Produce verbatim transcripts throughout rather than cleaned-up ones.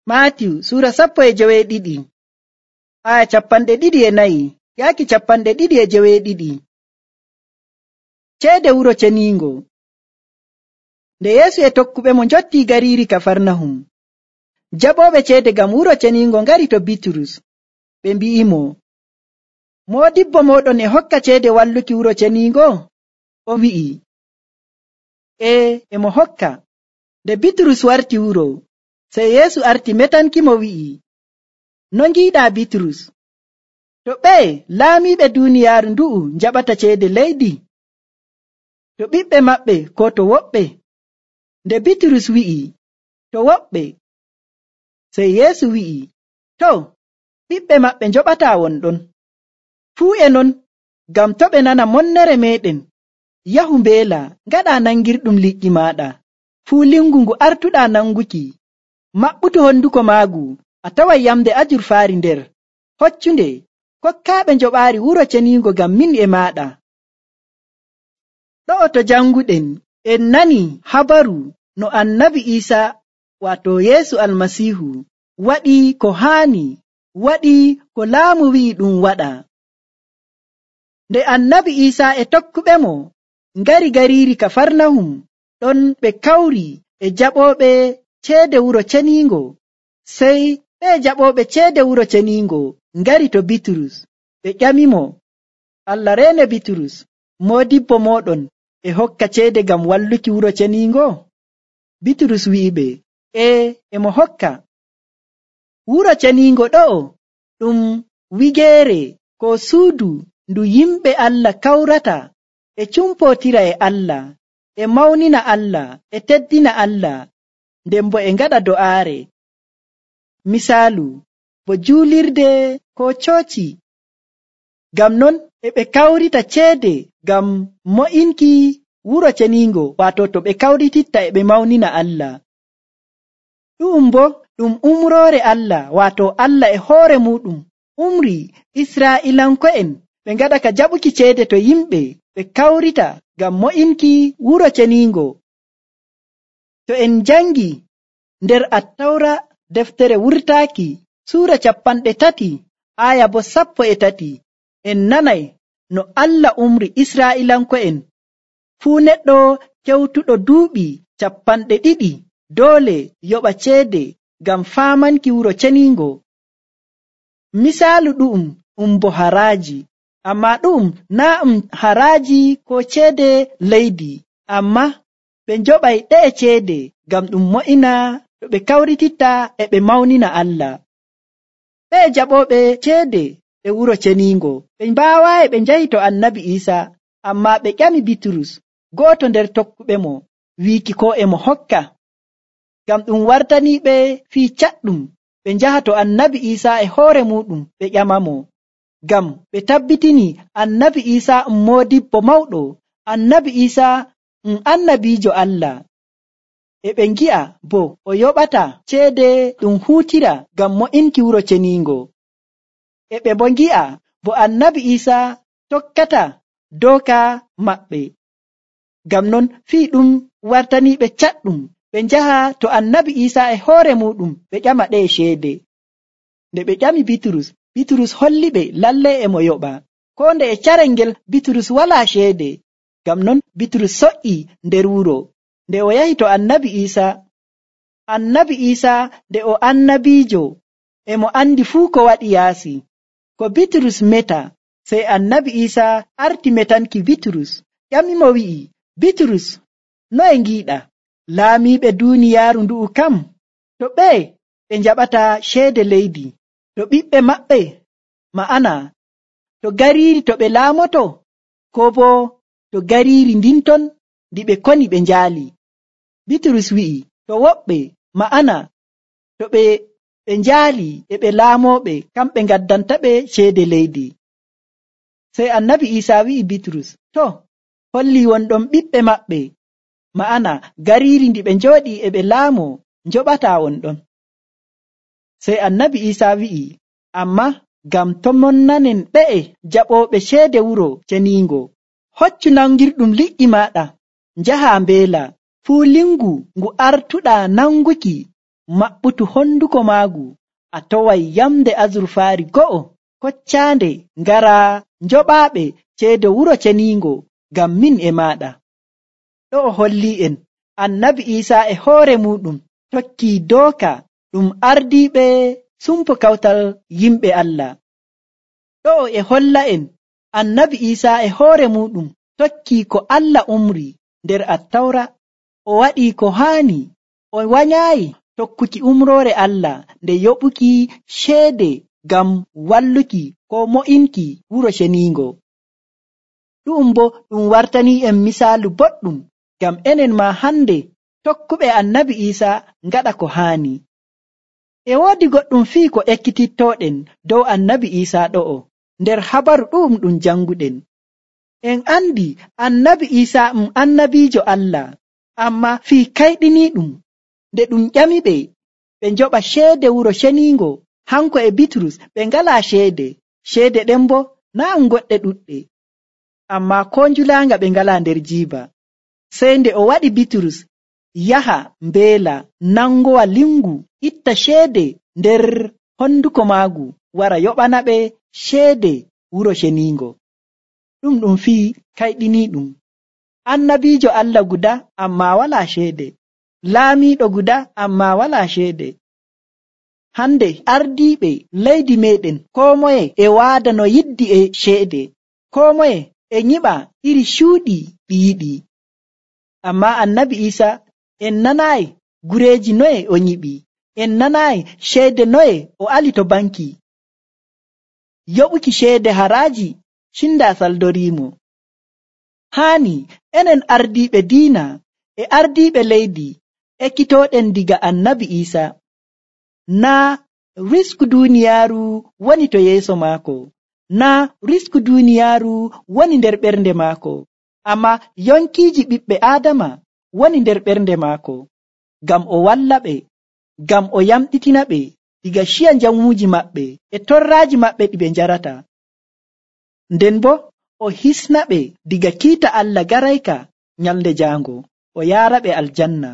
Maatiyu Suura sappo e joweeɗiɗi aya capanɗe ɗiɗi e nayi yaaki capanɗe ɗiɗi e joweeɗiɗi. Ceede wuro ceniingo. Nde Yeesu e tokkuɓemo njottii gariiri Kafarnahum, jaɓooɓe ceede ngam wuro ceniingo ngari to Bitrus. Ɓe mbi'imo, moodibbo mooɗon e hokka ceede walluki wuro ceniingo? O wi'i, ee, e mo hokka. Nde Bitrus warti wuro, sey Yeesu arti metankimo wi'i, no ngiiɗaa Bitrus? To ɓeye laamiiɓe duuniyaaru ndu'u njaɓata ceede leydi? To ɓiɓɓe maɓɓe koo to woɓɓe? Nde Bitrus wi'i, to woɓɓe. Sey Yeesu wi'i, too, ɓiɓɓe maɓɓe njoɓataa wonɗon. Fuu e non, ngam to ɓe nana monnere meeɗen, yahu mbeela, ngaɗaa nangirɗum liƴƴi maaɗa. Fuu lingu ngu artuɗaa nanguki, maɓɓutu honduko maagu, a taway yamde ajurfaari nder. Hoccunde, kokkaaɓe njoɓaari wuro ceniingo ngam min e maaɗa. Ɗo'o to janguɗen, en nani habaru no Annabi Iisaa waato Yeesu Almasiihu waɗi ko haani, waɗi ko laamu wi'i ɗum waɗa. Nde Annabi Iisaa e tokkuɓemo ngari gariiri Kafarnahum, ɗon ɓe kawri e jaɓooɓe ceede wuro ceniingo. Sey ɓe jaɓooɓe ceede wuro ceniingo ngari to Bitrus. Ɓe ƴamimo, Allah reene Bitrus, moodibbo mooɗon e hokka ceede ngam walluki wuro ceniingo? Bitrus wi'iɓe, ee, e mo hokka. Wuro ceniingo ɗo'o ɗum wigeere ko suudu ndu yimɓe Allah kawrata e cumpootira e Allah, e mawnina Allah, e teddina Allah, nden bo e ngaɗa do'aare. Misaalu, bo juulirde ko cooci. Ngam non e ɓe kawrita ceede ngam mo'inki wuro ceniingo, waato to ɓe kawrititta e ɓe mawnina Allah. Ɗu'um bo ɗum umroore Allah, waato Allah e hoore muɗum umri Israa'iilanko'en ɓe ngaɗa ka jaɓuki ceede to yimɓe ɓe kawrita ngam mo'inki wuro ceniingo. To en jangi nder Attawra deftere wurtaaki suura capanɗe tati aya bo sappo e tati, en nanay no Allah umri Israa'iilanko'en fuu neɗɗo kewtuɗo duuɓi capanɗe ɗiɗi doole yoɓa ceede ngam faamanki wuro ceniingo. Misaalu ɗu'um um bo haraaji, amma ɗu'um naa um haraaji ko ceede leydi, amma ɓe njoɓay ɗe'e ceede ngam ɗum mo'ina to ɓe kawrititta e ɓe mawnina Allah. Ɓe jaɓooɓe ceede e wuro ceniingo ɓe mbaawaayi ɓe njahi to Annabi Iisaa, amma ɓe ƴami Bitrus, gooto nder tokkuɓemo, wiiki ko e mo hokka. Ngam ɗum wartaniiɓe fii caɗɗum ɓe njaha to Annabi Iisaa e hoore muɗum ɓe ƴamamo, ngam ɓe tabbitini Annabi Iisaa um moodibbo mawɗo, Annabi Iisaa um annabiijo Allah. E ɓe ngi'a bo o yoɓata ceede ɗum huutira ngam mo'inki wuro ceniingo. E ɓe bo ngi'a bo Annabi Iisaa tokkata dooka maɓɓe. Ngam non fii ɗum wartaniiɓe caɗɗum ɓe njaha to Annabi Iisaa e hoore muɗum ɓe ƴama ɗe ceede. Nde ɓe ƴami Bitrus, Bitrus holliɓe lallay e mo yoɓa. Koo nde e carel ngel Bitrus walaa ceede. Ngam non Bitrus soƴƴi nder wuro. Nde o yahi to Annabi Iisaa, Annabi Iisaa nde o annabiijo e mo andi fuu ko waɗi yaasi. Ko Bitrus meta, sey Annabi Iisaa arti metanki Bitrus, ƴamimo wi'i, Bitrus, noye ngiiɗa? Laamiiɓe duuniyaaru ndu'u kam, to ɓeye ɓe njaɓata ceede leydi? To ɓiɓɓe maɓɓe, ma'ana to gariiri to ɓe laamoto, koo boo to gariiri ndinton ndi ɓe koni ɓe njaali? Bitrus wi'i, to woɓɓe, ma'ana to ɓe ɓe njaali e ɓe laamooɓe, kamɓe ngaddantaɓe ceede leydi. Sey Annabi Iisaa wi'i Bitrus, to, holli wonɗon ɓiɓɓe maɓɓe, ma'ana gariiri ndi ɓe njooɗii e ɓe laamoo njoɓataa wonɗon. Sey Annabi Iisaa wi'i, amma ngam to monnanen ɓe'e jaɓooɓe ceede wuro ceniingo, hoccu nangirɗum liƴƴi maaɗa, njahaa mbeela, fuu lingu ngu artuɗaa nanguki, maɓɓutu honduko maagu a toway yamde azurfaari go'o koccaande ngara njoɓaaɓe ceede wuro ceniingo ngam min e maaɗa. ɗo o hollii en annabi Iisaa e hoore muuɗum tokkii dooka ɗum ardiiɓe sumpo kawtal yimɓe Allah. ɗo o e holla en annabi Iisaa e hoore muuɗum tokkii ko Allah umri nder Attawra, o waɗii ko haani, o wanyaayi tokkuki umroore Allah nde yoɓuki ceede ngam walluki ko mo'inki wuro ceniingo. ɗu'um bo ɗum wartanii en misaalu boɗɗum ngam enen ma hande tokkuɓe annabi Iisaa ngaɗa ko haani. E woodi goɗɗum fii ko ekkitittooɗen dow annabi Iisaa ɗo'o nder habaru ɗu'um ɗum janguɗen. En andi annabi Iisaa um annabiijo Allah, amma fii kayɗiniiɗum nde ɗum ƴamiɓe ɓe njoɓa ceede wuro ceniingo, hanko e Bitrus ɓe ngalaa ceede, ceede ɗen bo naa ɗum goɗɗe ɗuɗɗe, amma ko njulaanga ɓe ngalaa nder jiiba. Sey nde o waɗi Bitrus yaha mbeela nangowa lingu itta ceede nder honduko maagu wara yoɓana ɓe ceede wuro ceniingo. ɗum ɗum fii kayɗiniiɗum. Annabiijo Allah guda amma walaa ceede, laamiiɗo guda amma walaa ceede. Hande ardiiɓe leydi meeɗen koo moye e waada no yiddi e ceede, koo moye e nyiɓa iri cuuɗi ɗi yiɗi. Amma annabi Iisaa en nanaayi gureeji noye o nyiɓi, en nanaayi ceede noye o ali to banki. Yoɓuki ceede haraaji cindaa saldoriimo. Haani enen ardiiɓe diina e ardiiɓe leydi ekkitooɗen diga annabi Iisaa, naa risku duuniyaaru woni to yeeso maako, naa risku duuniyaaru woni nder ɓernde maako, amma yonkiiji ɓiɓɓe aadama woni nder ɓernde maako, ngam o walla ɓe, ngam o yamɗitina ɓe diga ciya njamuuji maɓɓe e torraaji maɓɓe ɗi ɓe njarata. Nden bo o hisna ɓe diga kiita Allah garayka nyalnde jaango, o yaara ɓe aljanna.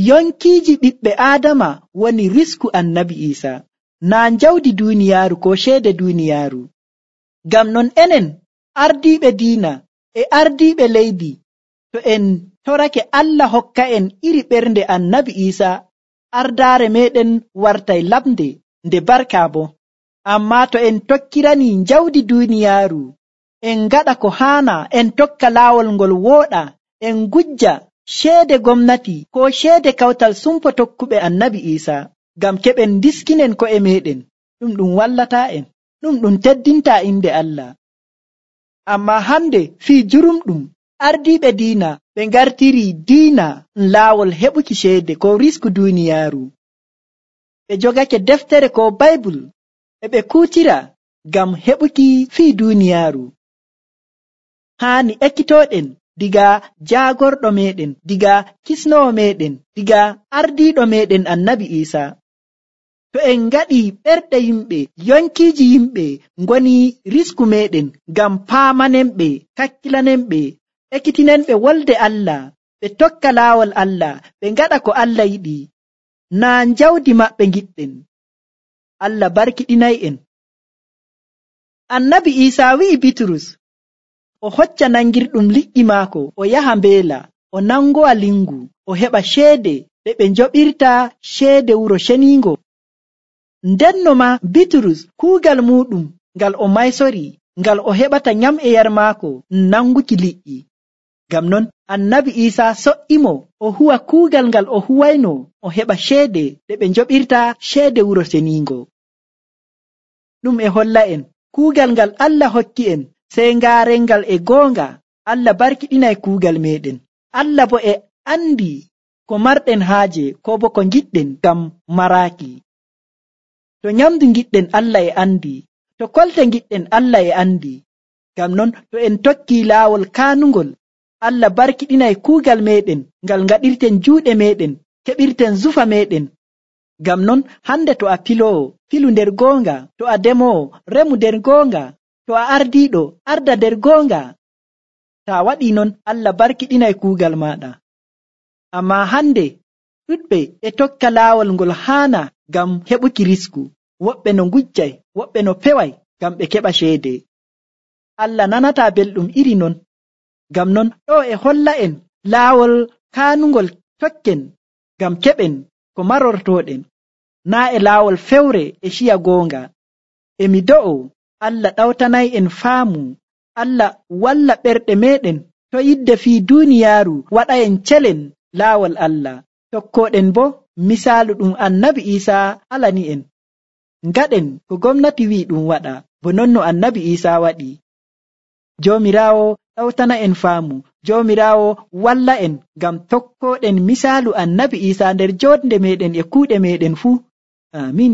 Yonkiiji ɓiɓɓe aadama woni risku annabi Iisaa, naa njawdi duuniyaaru ko ceede duuniyaaru. Ngam non enen ardiiɓe diina e ardiiɓe leydi, to en torake Allah hokka en iri ɓernde annabi Iisaa, ardaare meɗen wartay lamde nde barka bo. Amma to en tokkiranii njawdi duuniyaaru, en ngaɗa ko haana, en tokka laawol ngol wooɗa, en gujja ceede gomnati ko ceede kawtal sumpo tokkuɓe annabi Iisaa ngam keɓen diskinen ko'e meɗen, ɗum ɗum wallataa en, ɗum ɗum teddintaa inde Allah. Amma hande fii jurumɗum ardiiɓe diina ɓe ngartiri diina laawol heɓuki ceede ko risku duuniyaaru. Ɓe jogake deftere ko Baybul e ɓe kuutira ngam heɓuki fii duuniyaaru. Haani ekkitooɗen diga jaagorɗo meɗen, diga kisnowo meɗen, diga ardiiɗo meɗen annabi Iisaa. To en ngaɗi ɓerɗe yimɓe, yonkiiji yimɓe ngoni risku meɗen ngam paamanenɓe, kakkilanenɓe, ekkitinenɓe wolde Allah, ɓe tokka laawol Allah, ɓe ngaɗa ko Allah yiɗi, naa njawdi maɓɓe ngiɗɗen. Allah barkiɗinay en. Annabi Iisaa wi'i Bitrus o hocca nangirɗum liƴƴi maako, o yaha mbeela, o nangowa lingu, o heɓa ceede ɗe ɓe njoɓirta ceede wuro ceniingo. Ndenno ma Bitrus kuugal muɗum ngal o maysori, ngal o heɓata nyam e yar maako nanguki liƴƴi. Ngam non annabi Iisaa so'imo o huwa kuugal ngal o huwayno, o heɓa ceede ɗe ɓe njoɓirta ceede wuro ceniingo. Ɗum e holla en kuugal ngal Allah hokki en, sey ngaaren ngal e goonga. Allah barkiɗinay kuugal meɗen. Allah bo e andi ko marɗen haaje ko bo ko ngiɗɗen ngam maraaki. To nyamdu ngiɗɗen Allah e andi, to kolte ngiɗɗen Allah e andi. Ngam non to en tokki laawol kaanungol, Allah barkiɗinay kuugal meɗen ngal ngaɗirten juuɗe meɗen, keɓirten zufa meɗen. Ngam non hande to a piloowo, pilu nder goonga, to a demowo, remu nder goonga, to a ardiiɗo, arda nder goonga. Ta waɗi non Allah barkiɗinay kuugal maɗa. Amma hande ɗuɗɓe e tokka laawol ngol haana ngam heɓuki risku, woɓɓe no ngujjay, woɓɓe no peway ngam ɓe keɓa ceede. Allah nanataa belɗum iri non, ngam non ɗo e holla en laawol kaanungol tokken ngam keɓen ko marortooɗen, naa e laawol fewre e ciya goonga. E mi do'o Allah ɗawtanay en faamu, Allah walla ɓerɗe meeɗen to yidde fii duuniyaaru waɗa'en celen laawol Allah, tokkooɗen boo misaalu ɗum Annabi Iisaa alani'en. Ngaɗen ko gomnati wi'i ɗum waɗa, bo non no Annabi Iisaa waɗi. Joomiraawo ɗawtana en faamu, Joomiraawo walla en ngam tokkooɗen misaalu Annabi Iisaa nder jootnde meeɗen e kuuɗe meeɗen fuu. Aamin.